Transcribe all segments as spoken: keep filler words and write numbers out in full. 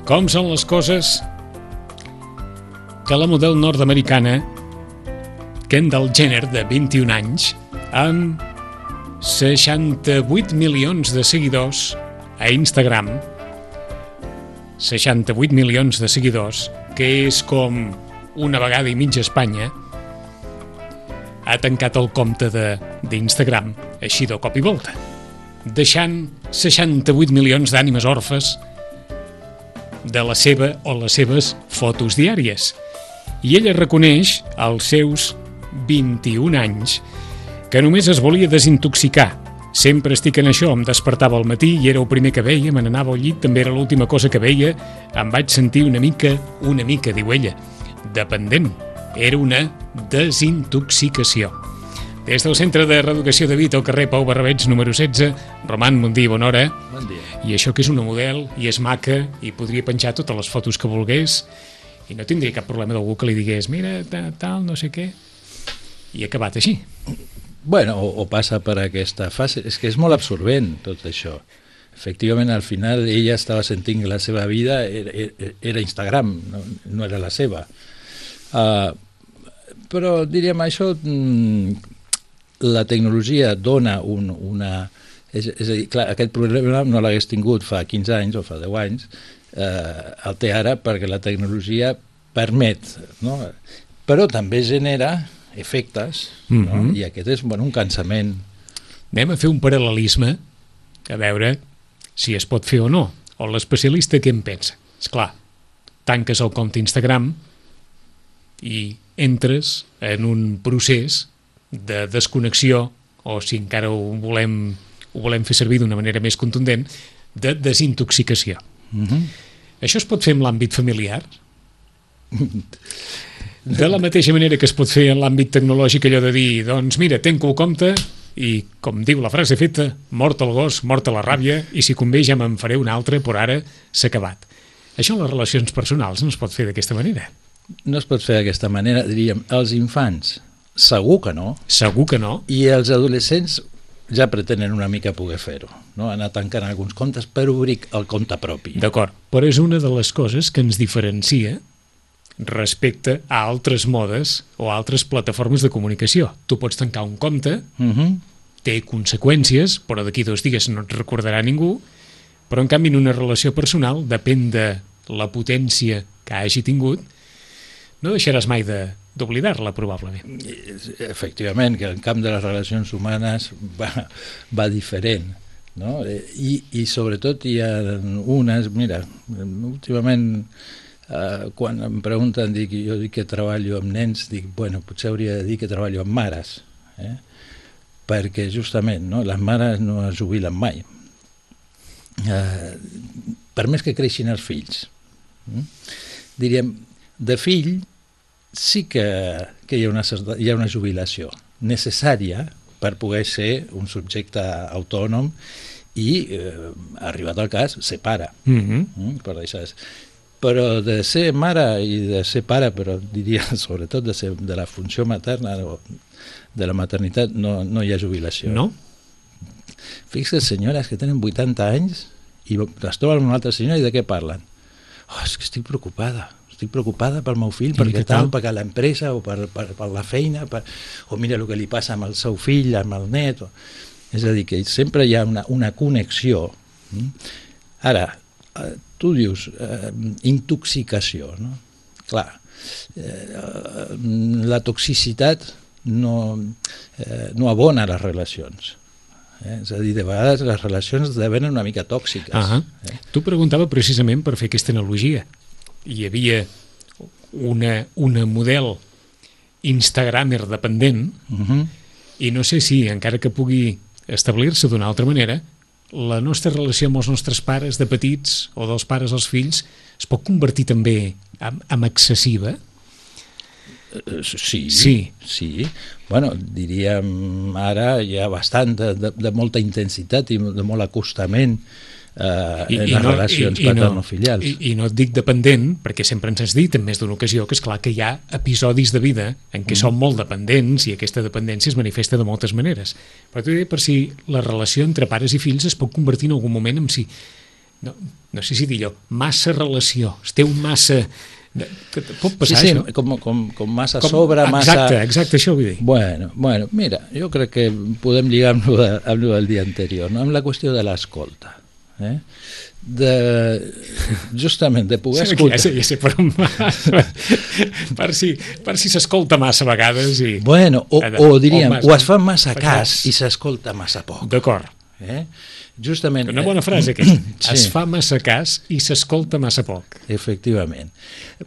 Com són les coses que la model nord-americana Kendall Jenner, de vint-i-un anys, amb seixanta-vuit milions de seguidors a Instagram, seixanta-vuit milions de seguidors, que és com una vegada i mitja Espanya, ha tancat el compte d'Instagram així de cop i volta, deixant seixanta-vuit milions d'ànimes orfes de la seva o les seves fotos diàries. I ella reconeix als seus vint-i-un anys que només es volia desintoxicar. Sempre estic en això, em despertava al matí i era el primer que veia, me n'anava al llit, també era l'última cosa que veia, em vaig sentir una mica, una mica, diu ella, dependent. Era una desintoxicació. Des del Centre de Reeducació de Vic, al carrer Pau Barrabets, número setze, Roman, bon dia, bona hora. Bon dia. I això que és una model, i és maca, i podria penjar totes les fotos que volgués, i no tindria cap problema d'algú que li digués, mira, tal, no sé què, i ha acabat així. Bueno, o, o passa per aquesta fase. És que és molt absorbent tot això. Efectivament, al final ella estava sentint que la seva vida era, era Instagram, no, no era la seva. Uh, però diríem això, la tecnologia dona un, una... És, és a dir, clar, aquest problema no l'hagués tingut fa quinze anys o fa deu anys, eh, el té ara perquè la tecnologia permet, no? Però també genera efectes, mm-hmm. no? I aquest és, bueno, un cansament. Anem a fer un paral·lelisme a veure si es pot fer o no, o l'especialista què en pensa. Esclar, tanques el compte Instagram i entres en un procés de desconnexió, o si encara ho volem, ho volem fer servir d'una manera més contundent, de desintoxicació. Mm-hmm. Això es pot fer en l'àmbit familiar? De la mateixa manera que es pot fer en l'àmbit tecnològic, allò de dir, doncs mira, tanco el compte i, com diu la frase feta, mort el gos, mort la ràbia, i si convé ja me'n faré un altre, però ara s'ha acabat. Això en les relacions personals no es pot fer d'aquesta manera. No es pot fer d'aquesta manera, diríem, els infants segur que no. Segur que no. I els adolescents ja pretenen una mica poder fer-ho, no? Anar tancant alguns comptes per obrir el compte propi. D'acord, però és una de les coses que ens diferencia respecte a altres modes o a altres plataformes de comunicació. Tu pots tancar un compte, uh-huh. té conseqüències, però d'aquí dos dies no et recordarà ningú, però en canvi en una relació personal, depèn de la potència que hagi tingut, no deixaràs mai de d'oblidar-la, probablement. Efectivament, que en camp de les relacions humanes va, va diferent, no? I, i sobretot hi ha unes, mira, últimament Uh, quan em pregunten, dic, jo dic que treballo amb nens, dic, bueno, potser hauria de dir que treballo amb mares, eh? Perquè justament, no, les mares no es jubilen mai, uh, per més que creixin els fills. Mm? Diríem, de fill sí que, que hi ha una, hi ha una jubilació necessària per poder ser un subjecte autònom i, eh, arribat al cas, ser pare. Mm-hmm. mm? Per deixar... Però de ser mare i de ser pare, però diria sobretot de, ser, de la funció materna o de la maternitat, no, no hi ha jubilació. No? Fixa't, senyores que tenen vuitanta anys i es troben amb una altra senyora i de què parlen? Oh, és que estic preocupada, estic preocupada pel meu fill, perquè tal, perquè l'empresa o per, per, per la feina, per, o mira el que li passa amb el seu fill, amb el net. O... És a dir, que sempre hi ha una, una connexió. Ara, tu dius, eh, intoxicació, no? Clar, eh, la toxicitat no, eh, no abona les relacions. Eh? És a dir, de vegades les relacions esdevenen una mica tòxiques. Uh-huh. eh? Tu preguntava precisament per fer aquesta analogia. Hi havia una, una model instagramer dependent, uh-huh. i no sé si, encara que pugui establir-se d'una altra manera, la nostra relació amb els nostres pares de petits o dels pares als fills es pot convertir també en, en excessiva? Sí, sí, sí. Bueno, diríem ara hi ha bastant de, de, de molta intensitat i de molt acostament eh, I, en les no, relacions paterno-filials. I, i no et dic dependent, perquè sempre ens has dit en més d'una ocasió que és clar que hi ha episodis de vida en què mm. som molt dependents i aquesta dependència es manifesta de moltes maneres. Però t'ho diré per si la relació entre pares i fills es pot convertir en algun moment en si no, no sé si dir-ho, massa relació, es té un massa... Pot passar, sí, sí, això? Com, com, com massa Com, sobre, massa... Exacte, exacte, això vull dir. Bueno, bueno, mira, jo crec que podem lligar amb el, amb el del dia anterior, no? Amb la qüestió de l'escolta. Eh? De, justament, de poder sí, escoltar... Ja sé, ja sé, per, per si per si s'escolta massa a vegades i... Bueno, o, o diríem, o, massa, o es fa massa cas, cas i s'escolta massa poc. D'acord. Eh? Justament... Una bona frase, aquesta. Sí. Es fa massa cas i s'escolta massa poc. Efectivament.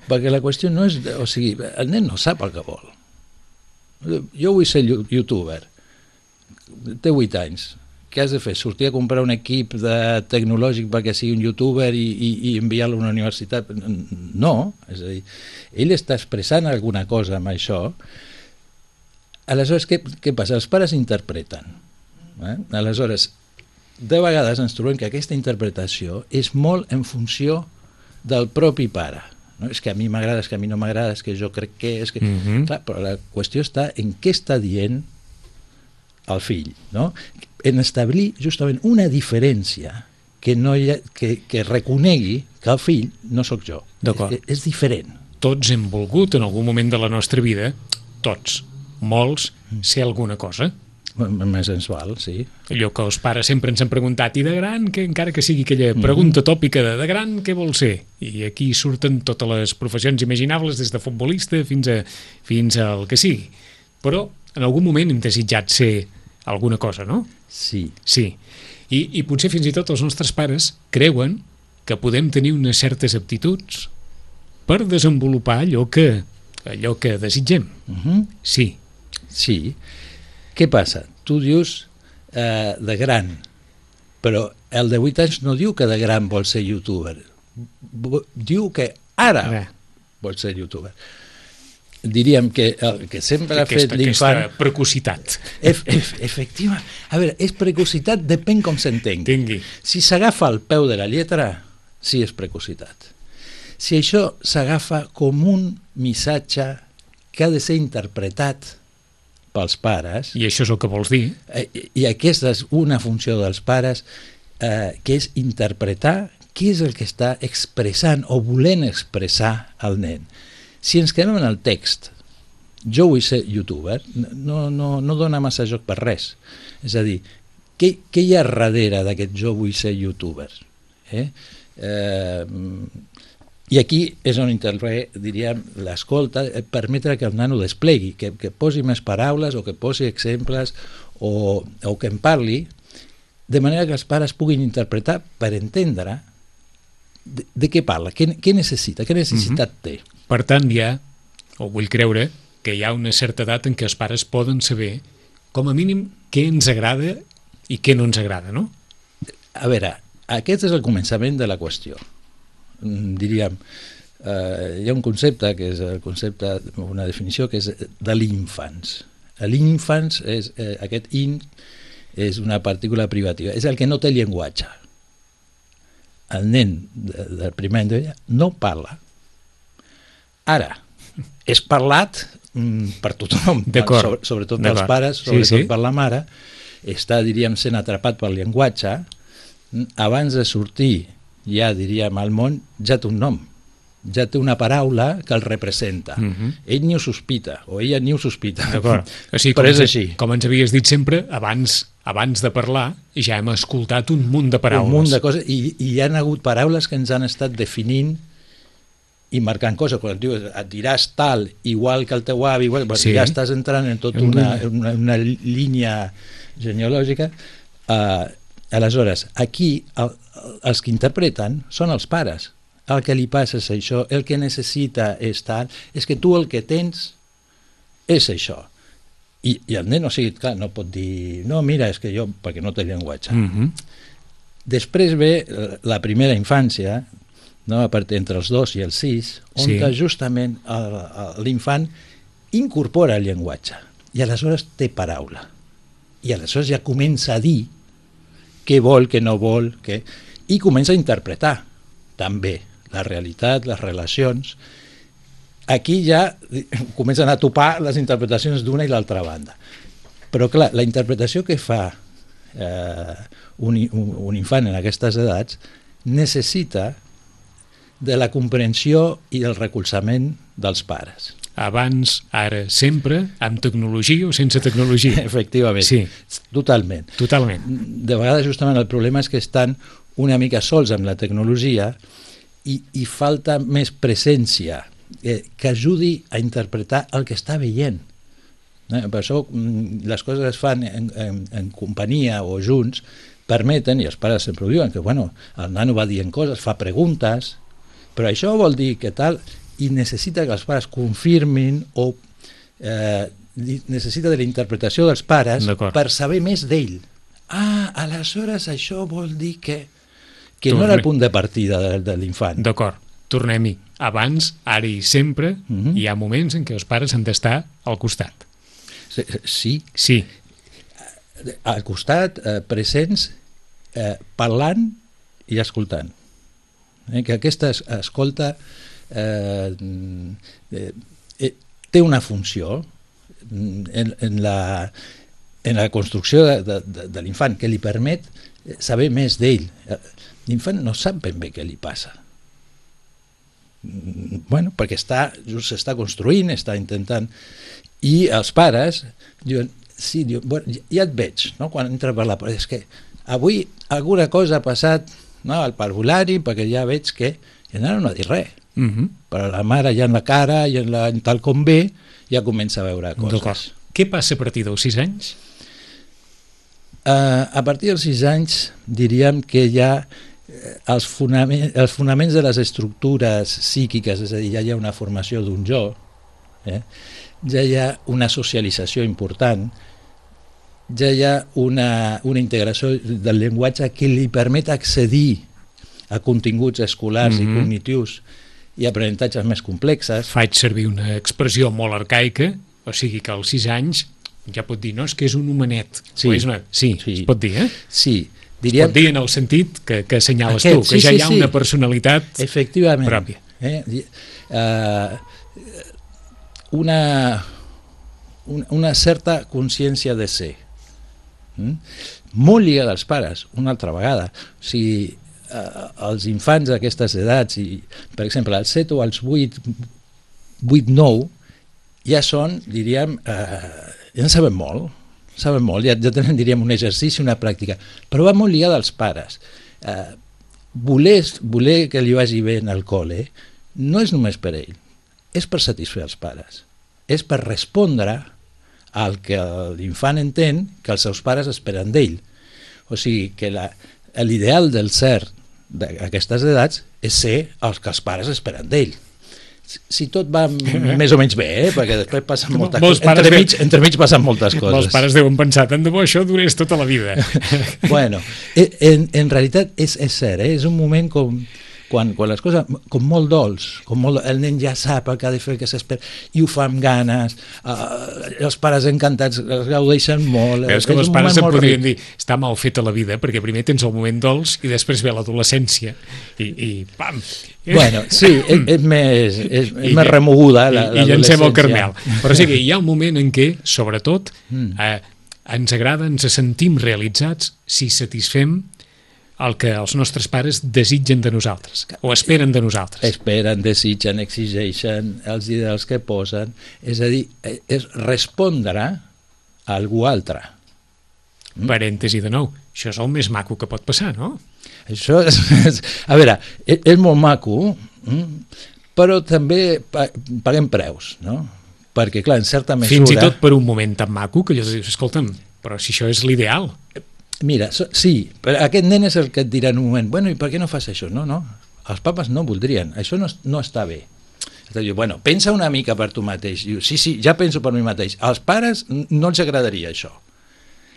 Perquè la qüestió no és... O sigui, el nen no sap el que vol. Jo vull ser youtuber. Té vuit anys. Què has de fer? Sortir a comprar un equip de tecnològic perquè sigui un youtuber i, i, i enviar-lo a una universitat? No. És a dir, ell està expressant alguna cosa amb això. Aleshores, què, què passa? Els pares interpreten. Eh? Aleshores, de vegades ens trobem que aquesta interpretació és molt en funció del propi pare. No? És que a mi m'agrada, és que a mi no m'agrada, és que jo crec que... És que... Mm-hmm. Clar, però la qüestió està en què està dient el fill, no? En establir justament una diferència que, no hi ha, que, que reconegui que el fill no sóc jo. És, és diferent. Tots hem volgut en algun moment de la nostra vida, tots, molts, ser alguna cosa. Més ens val, sí. Allò que els pares sempre ens han preguntat, i de gran, que encara que sigui aquella pregunta tòpica de, de gran, què vol ser? I aquí surten totes les professions imaginables, des de futbolista fins a fins al que sigui. Però en algun moment hem desitjat ser alguna cosa, no? Sí. Sí. I, i potser fins i tot els nostres pares creuen que podem tenir unes certes aptituds per desenvolupar allò que, allò que desitgem. Uh-huh. Sí. Sí. Què passa? Tu dius eh, de gran, però el de vuit anys no diu que de gran vol ser youtuber. Diu que ara Ara. vol ser youtuber. Diríem que el que sempre ha aquesta, fet l'infant... Aquesta precocitat. Ef, ef, efectiva. A veure, és precocitat, depèn com s'entengui. Si s'agafa al peu de la lletra, sí és precocitat. Si això s'agafa com un missatge que ha de ser interpretat pels pares... I això és el que vols dir? Eh, I aquesta és una funció dels pares, eh, que és interpretar què és el que està expressant o volent expressar el nen. Si ens quedem en el text, jo vull ser youtuber, no, no, no dona massa joc per res. És a dir, què, què hi ha darrere d'aquest jo vull ser youtuber? Eh? Eh, I aquí és on intervé, diríem, l'escolta, permetre que el nano desplegui, que, que posi més paraules o que posi exemples o, o que en parli, de manera que els pares puguin interpretar per entendre de, de què parla, què, què necessita, què necessitat mm-hmm. té. Per tant, hi ha, o vull creure, que hi ha una certa edat en què els pares poden saber, com a mínim, què ens agrada i què no ens agrada, no? A veure, aquest és el començament de la qüestió. Diríem, eh, hi ha un concepte, que és el concepte, una definició, que és de l'infants. L'infants, és, eh, aquest in, és una partícula privativa, és el que no té llenguatge. El nen del primer any no parla. Ara, és parlat mm, per tothom, sobre, sobretot pels pares, sobretot sí, sí. per la mare, està, diríem, sent atrapat pel llenguatge, abans de sortir, ja diríem, al món, ja té un nom, ja té una paraula que el representa. Uh-huh. Ell ni ho sospita, o ella ni ho sospita, o sigui, però és així. Com ens havies dit sempre, abans, abans de parlar, ja hem escoltat un munt de paraules. Un munt de coses, i, i hi ha hagut paraules que ens han estat definint i marcant coses, quan et diu et diràs tal, igual que el teu avi, igual, sí. ja estàs entrant en tota una, una, una línia genealògica. Uh, aleshores, aquí el, els que interpreten són els pares. El que li passa és això, el que necessita és tal, és que tu el que tens és això. I, i el nen, o sigui, clar, no pot dir, no, mira, és que jo, perquè no té llenguatge. Mm-hmm. Després ve la primera infància, no? A part entre els dos i els sis, on sí. justament l'infant incorpora el llenguatge i aleshores té paraula i aleshores ja comença a dir què vol, què no vol, què... i comença a interpretar també la realitat, les relacions. Aquí ja comencen a topar les interpretacions d'una i l'altra banda, però clar, la interpretació que fa eh, un, un, un infant en aquestes edats necessita de la comprensió i el recolzament dels pares. Abans, ara, sempre, amb tecnologia o sense tecnologia. Efectivament, sí. Totalment. Totalment. De vegades justament el problema és que estan una mica sols amb la tecnologia i, i falta més presència eh, que ajudi a interpretar el que està veient. Eh, per això les coses es fan en, en, en companyia o junts, permeten, i els pares sempre ho diuen, que bueno, el nano va dient coses, fa preguntes, però això vol dir que tal, i necessita que els pares confirmin o eh, necessita de la interpretació dels pares per saber més d'ell. Ah, aleshores això vol dir que, que no era el punt de partida de, de l'infant. D'acord, tornem-hi. Abans, ara i sempre, uh-huh. hi ha moments en què els pares han d'estar al costat. Sí. Sí. Al costat, eh, presents, eh, parlant i escoltant. Eh, que aquesta escolta eh, eh, té una funció en, en, la, en la construcció de, de, de l'infant que li permet saber més d'ell. L'infant no sap ben bé què li passa. Bueno, perquè està, just s'està construint, està intentant... I els pares diuen, sí, diuen, bueno, ja et veig, no? Quan entra per la porta, és que avui alguna cosa ha passat, no, al parvulari, perquè ja veig que... I el nano no ha dit res. Uh-huh. Però la mare ja en la cara, i en la, en tal com ve, ja comença a veure coses. Què passa a partir dels sis anys? Uh, a partir dels sis anys diríem que ja els, fonament, els fonaments de les estructures psíquiques, és a dir, ja hi ha una formació d'un jo, eh? Ja hi ha una socialització important, ja hi ha una, una integració del llenguatge que li permet accedir a continguts escolars mm-hmm. i cognitius i aprenentatges més complexes. Faig servir una expressió molt arcaica, o sigui que als sis anys ja pot dir, no, és que és un homenet. Sí, és una... sí, sí, es pot dir, eh? Sí. Diríem... Es pot dir en el sentit que, que assenyales Aquest, tu, que sí, ja sí, hi ha sí. una personalitat Efectivament. pròpia. Eh? Uh, una, una, una certa consciència de ser. Mm? Molt lligada als pares, una altra vegada. O sigui, eh, els infants d'aquestes edats, i, per exemple, als set o als vuit, vuit nou, ja són, diríem, eh, ja en sabem molt, sabem molt, ja, ja tenen, diríem, un exercici, una pràctica, però va molt lligada als pares. Eh, voler, voler que li vagi bé en el col·le no és només per ell, és per satisfer els pares, és per respondre al que l'infant entén que els seus pares esperen d'ell. O sigui, que l'ideal del ser d'aquestes edats és ser el que els pares esperen d'ell. Si tot va més o menys bé, eh? Perquè després passen moltes coses. Entremig, entremig passen moltes coses. Molts pares deuen pensar, tant de bo això durés tota la vida. Bueno, en, en realitat és, és cert, eh? És un moment com... Quan, quan les coses, com molt dolç, com molt, el nen ja sap el que ha de fer, el que s'espera, i ho fa amb ganes, uh, els pares encantats es gaudeixen molt. Veus que els pares em podrien dir, està mal feta la vida, perquè primer tens el moment dolç i després ve l'adolescència, i, i pam! Bueno, sí, és, és més, és, és més remoguda l'adolescència. I llancem el carmel. Però sí que hi ha un moment en què, sobretot, eh, ens agrada, ens sentim realitzats si satisfem el que els nostres pares desitgen de nosaltres, o esperen de nosaltres. Esperen, desitgen, exigeixen, els ideals que posen, és a dir, és respondre a algú altre. Mm? Parèntesi de nou, això és el més maco que pot passar, no? Això és, és a veure, és, és molt maco, mm? però també paguem preus, no? Perquè, clar, en certa mesura... Fins i tot per un moment tan maco que allò dius, escolta'm, però si això és l'ideal... Mira, so, sí, però aquest nen és el que et dirà en un moment, bueno, i per què no fas això? No, no, els papes no voldrien, això no, no està bé. Diu, bueno, pensa una mica per tu mateix. Diu, sí, sí, ja penso per mi mateix. Als pares no els agradaria això.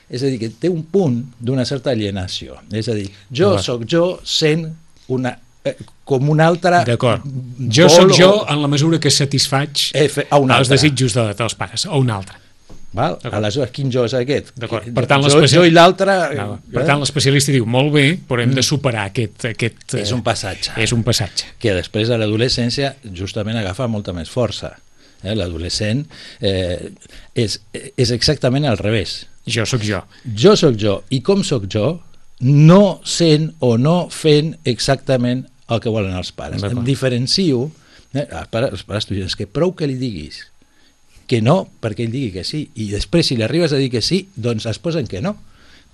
És a dir, que té un punt d'una certa alienació. És a dir, jo no. sóc jo sent una, eh, com un altre... D'acord. Jo sóc jo en la mesura que satisfaig els desitjos de, dels pares, o un altre. Val? Aleshores, quin jo és aquest? Per tant, jo, jo i l'altre... No, per tant, l'especialista diu, molt bé, però hem de superar aquest... aquest és un passatge. És un passatge. Que després a l'adolescència justament agafa molta més força. Eh? L'adolescent eh, és, és exactament al revés. Jo sóc jo. Jo sóc jo. I com sóc jo, no sent o no fent exactament el que volen els pares. Em diferencio, eh, els pares, els pares tu dius, que prou que li diguis que no, perquè ell digui que sí, i després si li arribes a dir que sí, doncs es posen que no,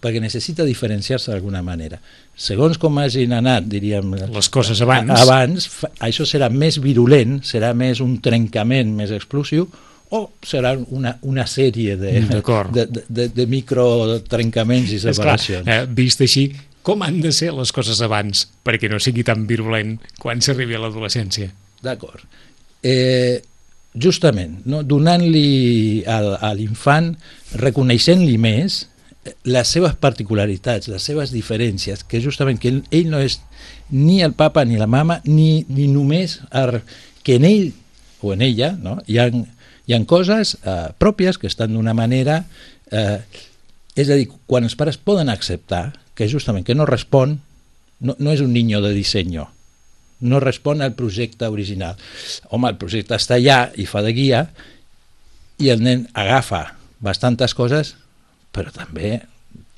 perquè necessita diferenciar-se d'alguna manera. Segons com hagin anat, diríem, les coses abans, abans això serà més virulent, serà més un trencament més explosiu, o serà una, una sèrie de, de, de, de microtrencaments i separacions. Clar, eh, vist així, com han de ser les coses abans perquè no sigui tan virulent quan s'arribi a l'adolescència? D'acord. Eh, justament, no? Donant-li a, a l'infant, reconeixent-li més les seves particularitats, les seves diferències, que justament que ell no és ni el papa ni la mama, ni, ni només er, que en ell o en ella, no? hi ha Hi ha coses eh, pròpies que estan d'una manera, eh, és a dir, quan els pares poden acceptar que justament que no respon, no, no és un niño de disseny, no respon al projecte original. Home, el projecte està allà i fa de guia, i el nen agafa bastantes coses, però també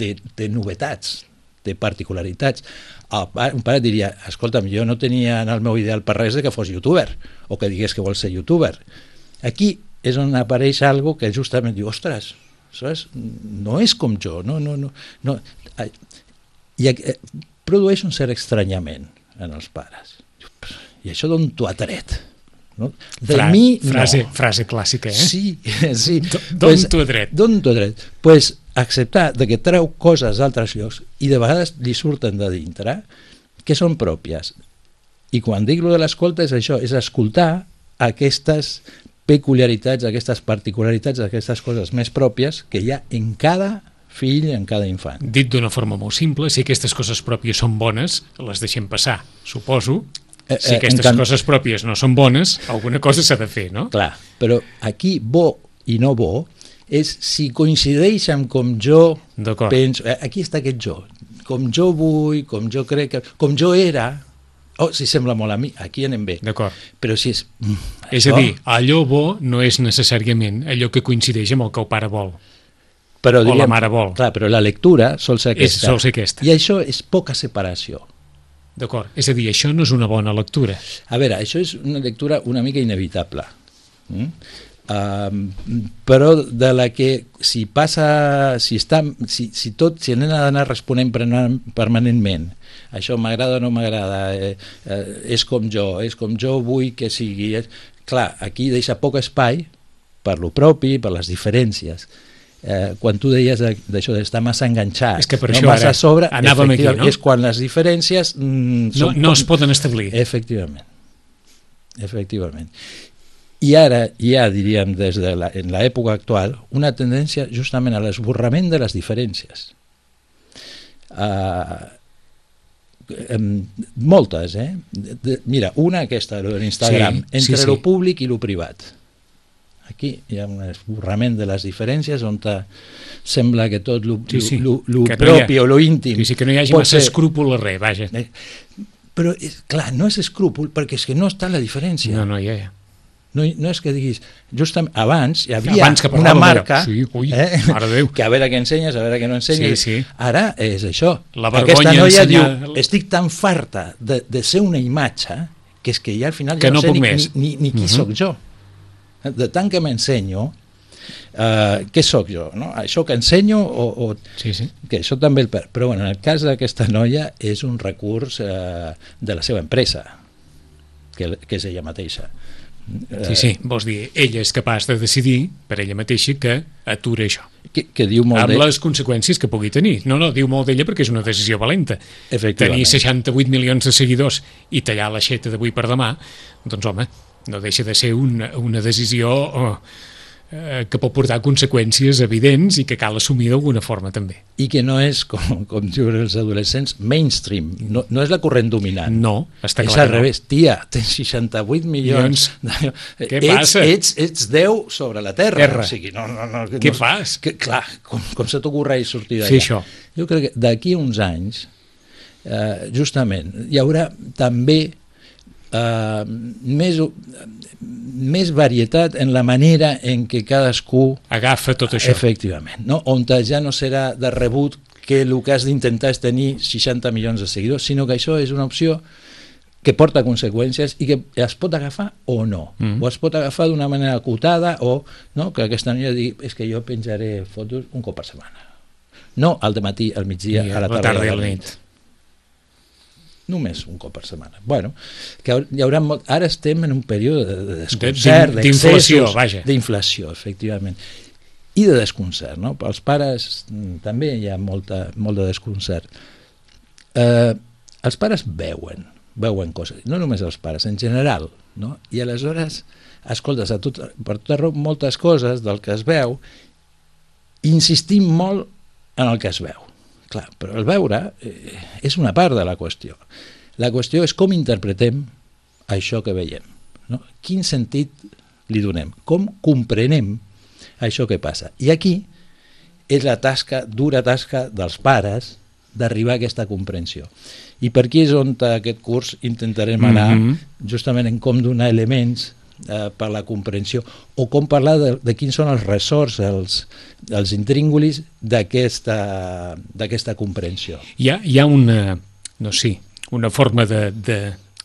té, té novetats, té particularitats. El pare, un pare diria, escolta'm, jo no tenia en el meu ideal per res de que fos youtuber, o que digués que vol ser youtuber. Aquí és on apareix algo que justament diu, ostres, saps? No és com jo, no, no, no, no. I eh, produeix un cert estranyament en els pares. I això d'on t'ho ha tret? No? De Fra, mi, frase, no. frase clàssica, eh? Sí, sí. D'on pues, t'ho ha tret? D'on t'ho ha tret? Doncs pues, acceptar de que treu coses d'altres llocs i de vegades li surten de dintre que són pròpies. I quan dic lo de l'escolta és això, és escoltar aquestes peculiaritats, aquestes particularitats, aquestes coses més pròpies que hi ha en cada fill, en cada infant. Dit d'una forma molt simple, si aquestes coses pròpies són bones, les deixem passar, suposo. Eh, eh, si aquestes can... coses pròpies no són bones, alguna cosa s'ha de fer, no? Clar, però aquí bo i no bo és si coincideix amb com jo penso, aquí està aquest jo, com jo vull, com jo crec que... com jo era... Oh, si sembla molt a mi, aquí anem bé. D'acord. Però si és... Mm, és això... a dir, allò bo no és necessàriament allò que coincideix amb el que el pare vol. Però, o diríem, la mare vol. Clar, però la lectura sol ser aquesta. És, sol ser aquesta. I això és poca separació. D'acord. És a dir, això no és una bona lectura. A veure, això és una lectura una mica inevitable. Mm? Uh, però de la que si passa, si, està, si, si tot, si anem a anar responent permanentment, això m'agrada o no m'agrada, eh, eh, és com jo, és com jo vull que sigui, és... clar, aquí deixa poc espai per lo propi, per les diferències. Eh, quan tu deies d'això d'estar massa enganxat, és que per no això massa ara sobre, anàvem aquí, no? És quan les diferències mm, no, no es poden establir. Efectivament. Efectivament. I ara hi ha, diríem, des de la, en l'època actual, una tendència justament a l'esborrament de les diferències. Uh, um, moltes, eh? De, de, mira, una aquesta, de l'Instagram, sí, entre sí, sí. lo públic i lo privat. Aquí hi ha un esborrament de les diferències on sembla que tot lo, sí, sí. lo, lo, lo propi no ha, o lo íntim... Sí, sí, que no hi hagi massa ser... escrúpol a res, vaja. Eh, però, és, clar, no és escrúpol perquè és que no està la diferència. No, no hi ha. No, no és que diguis, justament abans hi havia abans una marca sí, ui, eh, que a veure què ensenyes, a veure què no ensenyes. Sí, sí. Ara és això. La Aquesta noia ensenyar... diu, estic tan farta de, de ser una imatge que és que ja al final que ja no, no sé ni, ni, ni, ni qui uh-huh. sóc jo. De tant que m'ensenyo, uh, què sóc jo? No? Això que ensenyo o... o sí, sí. Que això també el... Però bueno, en el cas d'aquesta noia és un recurs uh, de la seva empresa, que, que és ella mateixa. Sí, sí, vols dir, ella és capaç de decidir per ella mateixa que atura això. Que, que diu molt amb de... les conseqüències que pugui tenir. No, no, diu molt d'ella perquè és una decisió valenta. Tenir seixanta-vuit milions de seguidors i tallar l'aixeta d'avui per demà, doncs home, no deixa de ser una, una decisió oh, eh, que pot portar conseqüències evidents i que cal assumir d'alguna forma també. I que no és, com, com diuen els adolescents, mainstream, no, no és la corrent dominant. No, està clar. És al revés, no. Tia, tens seixanta-vuit milions... De... Què ets, passa? Ets, ets deu sobre la terra. Terra. O sigui, no, no, no, Què no, fas? Que, clar, com, com se t'ocorreix sortir d'allà? Sí, això. Jo crec que d'aquí uns anys, eh, justament, hi haurà també Uh, més, més varietat en la manera en què cadascú agafa tot això. Efectivament, no? On ja no serà de rebut que el que has d'intentar és tenir seixanta milions de seguidors, sinó que això és una opció que porta conseqüències i que es pot agafar o no, mm. o es pot agafar d'una manera acotada, o no, que aquesta noia digui, és que jo penjaré fotos un cop per setmana, no al dematí, al migdia, I a la tarda, la tarda i a la nit. nit només un cop per setmana. Bueno, que hi haurà molt... Ara estem en un període de desconcert, d'inflació, vaja. D'inflació, efectivament. I de desconcert, no? Pels pares també hi ha molta, molt de desconcert. Eh, els pares veuen, veuen coses, no només els pares, en general, no? I aleshores escoltes a tot, per tot arreu moltes coses del que es veu, insistim molt en el que es veu. Clar, però el veure eh, és una part de la qüestió. La qüestió és com interpretem això que veiem, no? Quin sentit li donem, com comprenem això que passa. I aquí és la tasca, dura tasca dels pares d'arribar a aquesta comprensió. I per aquí és on aquest curs intentarem anar mm-hmm. justament en com donar elements eh, per la comprensió, o com parlar de, de quins són els ressorts, els, els intríngulis d'aquesta d'aquesta comprensió. Hi ha, hi ha una, no sé, una forma de, de,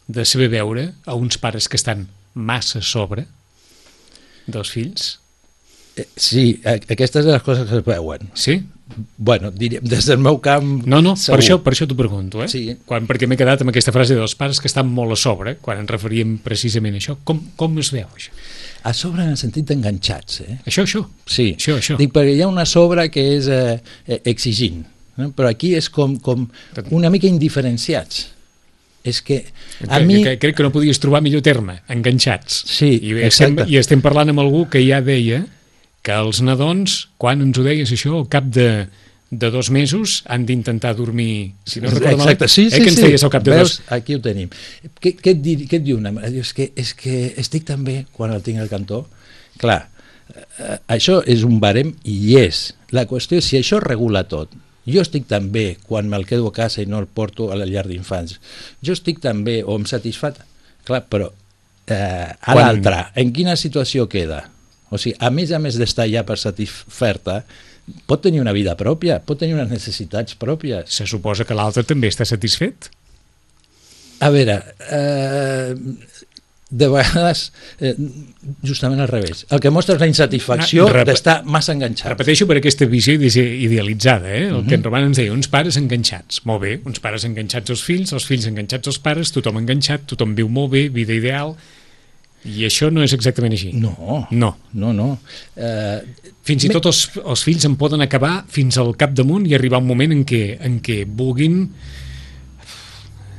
de saber veure a uns pares que estan massa a sobre dels fills? Eh, sí, aquestes són les coses que es veuen. Sí? Bueno, diríem, des del meu camp... No, no, segur. per això, per això t'ho pregunto, eh? Sí. Quan, perquè m'he quedat amb aquesta frase dels pares que estan molt a sobre, quan ens referíem precisament a això. Com, com es veu, això? A sobre en el sentit d'enganxats, eh? Això, això? Sí. Això, això. Dic, perquè hi ha una sobre que és eh, exigint, no? Però aquí és com, com una mica indiferenciats. És que a que, mi... Que, crec que no podies trobar millor terme, enganxats. Sí, I estem, exacte. I estem parlant amb algú que ja deia que els nadons, quan ens ho deies això, al cap de, de dos mesos han d'intentar dormir, si no recordo mal, exacte, sí, eh, sí, que ens sí. deies al cap de Veus, dos... aquí ho tenim. Què, què, et, dir, què et diu una mare? Dius que, és que estic tan bé quan el tinc al cantó. Clar, eh, això és un barem i és. La qüestió és si això regula tot. Jo estic tan bé quan me'l quedo a casa i no el porto a la llar d'infants. Jo estic tan bé o em satisfat. Clar, però eh, a quan... l'altre, en quina situació queda? O sigui, a més a més d'estar ja per satisfer-te, pot tenir una vida pròpia, pot tenir unes necessitats pròpies. Se suposa que l'altre també està satisfet? A veure, eh, de vegades, eh, justament al revés. El que mostra és la insatisfacció ah, d'estar massa enganxat. Repeteixo per aquesta visió idealitzada, eh? El uh-huh. que en Roman ens deia, uns pares enganxats. Molt bé, uns pares enganxats als fills, els fills enganxats als pares, tothom enganxat, tothom viu molt bé, vida ideal... I això no és exactament així. No, no, no. no. Uh, fins i tot els, els fills en poden acabar fins al capdamunt i arribar un moment en què, en què vulguin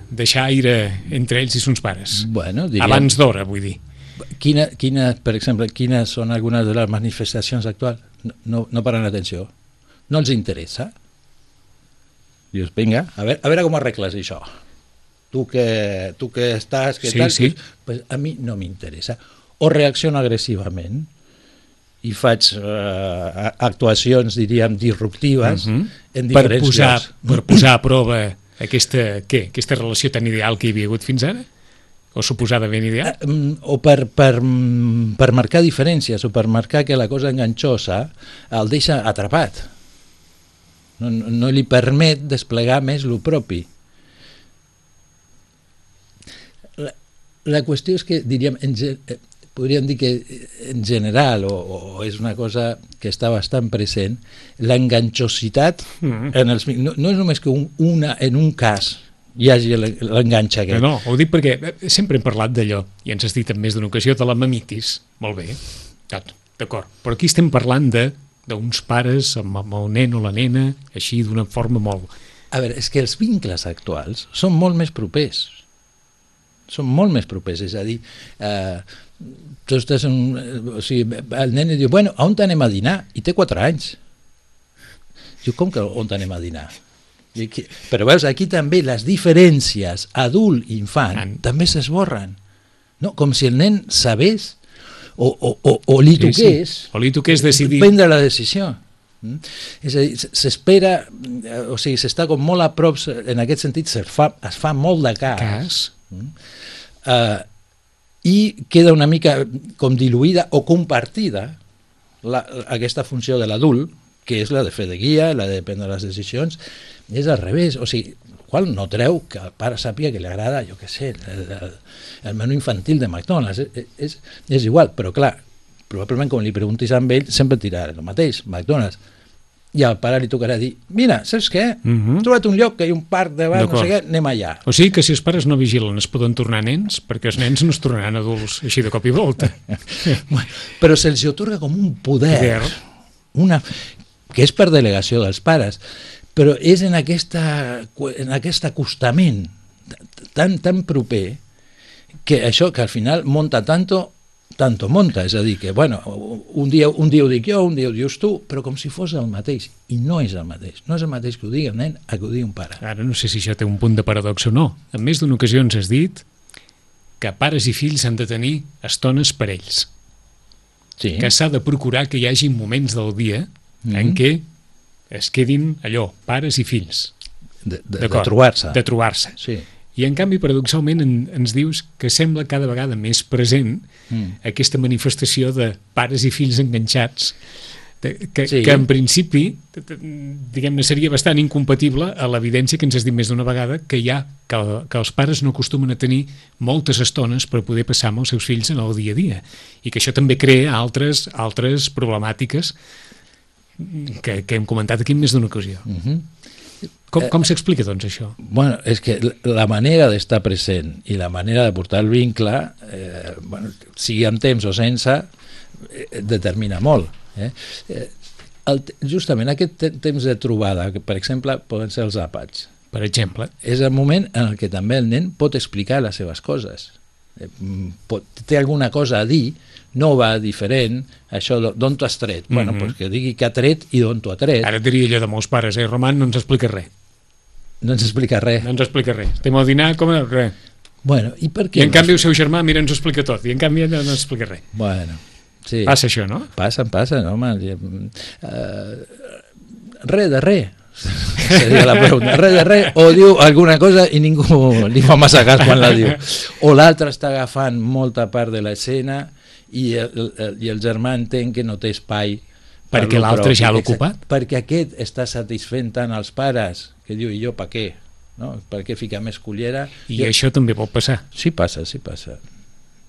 deixar aire entre ells i sons pares. Bueno, diríem, abans d'hora, vull dir. Quina, quina, per exemple, quines són algunes de les manifestacions actuals? No, no, no paren atenció. No els interessa. Dius, vinga, a veure, a veure com arregles això. Tu que, tu que estàs, que sí, tal, sí. Pues a mi no m'interessa. O reacciono agressivament i faig uh, actuacions, diríem, disruptives uh-huh. en diferents per posar, llocs. Per posar a prova aquesta, què, aquesta relació tan ideal que hi havia hagut fins ara? O suposadament ideal? Uh, o per, per, per marcar diferències, o per marcar que la cosa enganxosa el deixa atrapat. No, no, no li permet desplegar més lo propi. La qüestió és que, diríem, en, podríem dir que en general, o, o és una cosa que està bastant present, l'enganxositat mm. en els, no, no és només que un, una, en un cas hi hagi l'enganxa aquest. No, no, ho dic perquè sempre hem parlat d'allò, i ens has dit en més d'una ocasió, de la mamitis. Molt bé, d'acord. Però aquí estem parlant de d'uns pares amb, amb el nen o la nena, així d'una forma molt... A veure, és que els vincles actuals són molt més propers. Són molt més propers, és a dir, eh, tu estàs en, o sigui, el nen diu, bueno, on anem a dinar? I té quatre anys. Diu, com que on anem a dinar? Aquí, però veus, aquí també les diferències adult-infant ah. també s'esborren, no? Com si el nen sabés o, o, o, o li toqués, sí, sí. o li toqués decidir prendre la decisió. Mm? És a dir, s'espera, o sigui, s'està com molt a prop, en aquest sentit es fa, es fa molt de cas, cas. Mm? Uh, i queda una mica com diluïda o compartida la, aquesta funció de l'adult que és la de fer de guia, la de prendre les decisions, és al revés, o sigui, qual no treu que el pare sàpiga que li agrada, jo què sé, el, el, el menú infantil de McDonald's, és, és, és igual, però clar, probablement com li preguntis a ell, sempre et dirà el mateix, McDonald's, i al pare li tocarà dir, mira, saps què? Uh-huh. He trobat un lloc que hi ha un parc davant, no sé què, anem allà. O sigui que si els pares no vigilen es poden tornar nens, perquè els nens no es tornaran adults així de cop i volta. Bueno, però se'ls otorga com un poder, poder. Una, que és per delegació dels pares, però és en, aquesta, en aquest acostament tan, tan proper que això que al final monta tanto tanto monta, és a dir, que bueno, un dia, un dia ho dic jo, un dia ho dius tu, però com si fos el mateix, i no és el mateix, no és el mateix que ho digui el nen a que ho digui un pare. Ara no sé si això té un punt de paradoxa o no. En més d'una ocasió ens has dit que pares i fills han de tenir estones per ells, Sí. que s'ha de procurar que hi hagi moments del dia mm-hmm. en què es quedin allò, pares i fills, de, de, de trobar-se. De trobar-se. Sí. I en canvi, paradoxalment, en, ens dius que sembla cada vegada més present mm. aquesta manifestació de pares i fills enganxats, de, que, sí. que en principi, diguem-ne, seria bastant incompatible a l'evidència que ens has dit més d'una vegada que hi ha, que, que els pares no acostumen a tenir moltes estones per poder passar amb els seus fills en el dia a dia, i que això també crea altres, altres problemàtiques que, que hem comentat aquí en més d'una ocasió. Mm-hmm. Com, com s'explica, doncs, això? Bueno, és que la manera d'estar present i la manera de portar el vincle, eh, bueno, sigui amb temps o sense, eh, determina molt. Eh? Eh, el, justament aquest te temps de trobada, que per exemple poden ser els àpats, per exemple, és el moment en el que també el nen pot explicar les seves coses. Eh, pot, té alguna cosa a dir, nova, diferent, això d'on t'ho has tret? Mm-hmm. Bueno, pues que digui que ha tret i d'on t'ho ha tret. Ara diria allò de molts pares, eh, Roman, no ens explica res. No ens explica res. No ens explica res. Estem al dinar, com a res. Bueno, i per què? I en canvi el seu germà, mira, ens ho explica tot, i en canvi no ens explica res. Bueno, sí. Passa això, no? Passa, passa, no, home. Uh, res de res. Seria la pregunta. Res de res, o diu alguna cosa i ningú li fa massa cas quan la diu. O l'altre està agafant molta part de l'escena i el, el, i el germà entén que no té espai per perquè l'altre ja l'ha ocupat, perquè aquest està satisfent tant els pares que diu, i jo per què? No? Per què ficar més cullera? i jo... això també pot passar. Sí passa, sí passa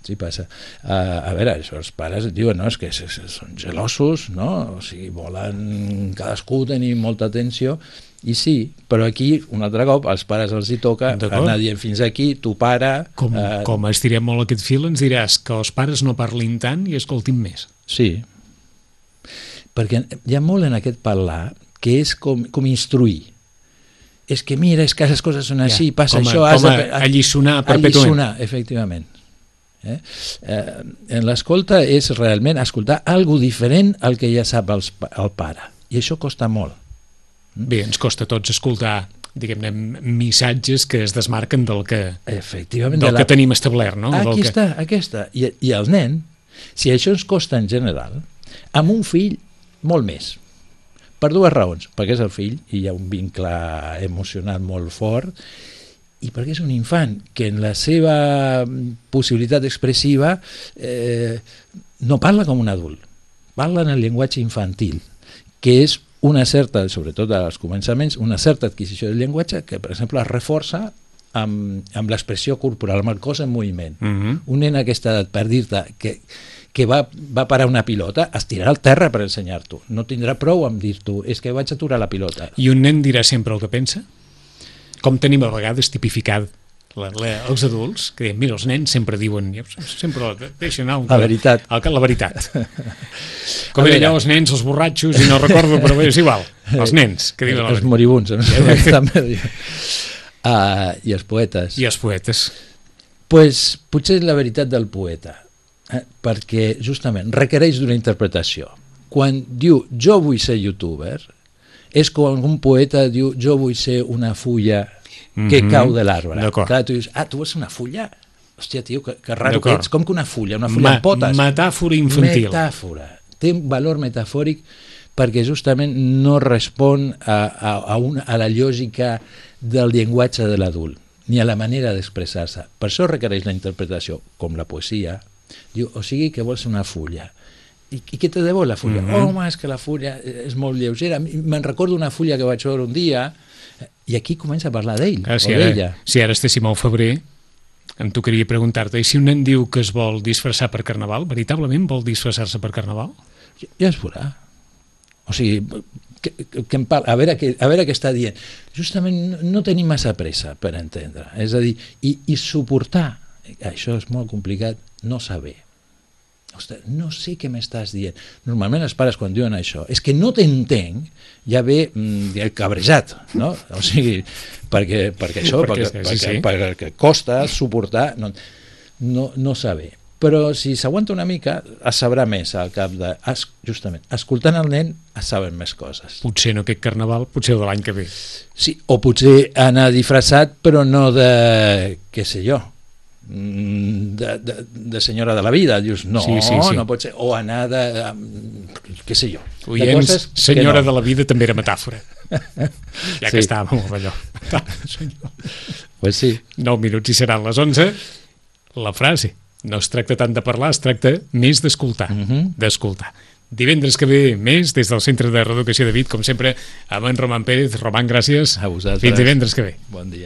sí passa. Uh, a veure, això, els pares diuen, no, és que són gelosos, no? O sigui, volen cadascú tenir molta atenció, i sí, però aquí, un altre cop, als pares els hi toca anar dient fins aquí, tu pare... Com, uh, com estirem molt aquest fil, ens diràs que els pares no parlin tant i escoltin més. Sí, perquè hi ha molt en aquest parlar que és com, com instruir. És que mira, és que les coses són així, ja, passa com a, això... Com a, a alliçonar perpètuament. Alliçonar, efectivament. Eh? Eh, en l'escolta és realment escoltar algo diferent al que ja sap els, el pare. I això costa molt. Bé, ens costa a tots escoltar, diguem-ne, missatges que es desmarquen del que, efectivament, del de la... que tenim establert, no? Aquí del està, que... aquesta. I, I el nen, si això ens costa en general, amb un fill, molt més. Per dues raons. Perquè és el fill i hi ha un vincle emocional molt fort, i perquè és un infant que en la seva possibilitat expressiva eh, no parla com un adult, parla en el llenguatge infantil, que és una certa, sobretot als començaments, una certa adquisició del llenguatge que, per exemple, es reforça amb, amb l'expressió corporal, amb el cos en moviment. Uh-huh. Un nen a aquesta edat, per dir-te que, que va, va parar una pilota, es tirarà al terra per ensenyar-t'ho. No tindrà prou amb dir-t'ho, és que vaig aturar la pilota. I un nen dirà sempre el que pensa? Com tenim a vegades tipificat la, la, els adults, que diem, mira, els nens sempre diuen, sempre deixen anar... La veritat. El, la veritat. Com eren allò, els nens, els borratxos, i no recordo, però bé, és igual. Els nens, que diuen... Els moribuns, també. Uh, I els poetes. I els poetes. Pues, potser és la veritat del poeta, eh? Perquè justament requereix d'una interpretació. Quan diu jo vull ser youtuber, és quan un poeta diu jo vull ser una fulla que mm-hmm. cau de l'arbre. Clar, tu dius, ah, tu vols ser una fulla? Hòstia, tio, que, que raro que ets. Com que una fulla? Una fulla Ma amb potes? Metàfora infantil. Metàfora. Té un valor metafòric perquè justament no respon a, a, a, una, a la lògica del llenguatge de l'adult, ni a la manera d'expressar-se. Per això requereix la interpretació, com la poesia. Diu, o sigui que vols una fulla. I, i què te deu la fulla? Mm -hmm. Home, és que la fulla és molt lleugera. Me'n recordo una fulla que vaig veure un dia i aquí comença a parlar d'ell ah, si o d'ella. Si ara estéssim al febrer, em tocaria preguntar-te, i si un nen diu que es vol disfressar per Carnaval, veritablement vol disfressar-se per Carnaval? Ja, ja es veurà. O sigui, que, que em parla, a, veure què, a veure què està dient. Justament no tenim massa pressa per entendre. És a dir, i, i suportar, això és molt complicat, no saber. Ostres, no sé què m'estàs dient. Normalment els pares quan diuen això és que no t'entenc, ja ve mm, cabrejat, no? O sigui, perquè, perquè això, perquè, perquè, sí, sí. perquè, perquè costa suportar, no, no, no saber. Però si s'aguanta una mica, es sabrà més al cap de... Justament, escoltant el nen es saben més coses. Potser no aquest Carnaval, potser el de l'any que ve. Sí, o potser anar disfressat, però no de, què sé jo, De, de, de senyora de la vida, dius, no, sí, sí, sí. no pot ser, o anar de, de què sé jo, Oients, de senyora no. de la vida també era metàfora, ja que sí. estàvem amb allò. Pues sí. nou minuts i seran les onze. La frase, no es tracta tant de parlar, es tracta més d'escoltar, uh -huh. d'escoltar. Divendres que ve més des del Centre de Reeducació de Vic, com sempre, amb en Roman Pérez. Roman, gràcies. A vosaltres. Fins divendres que ve. Bon dia.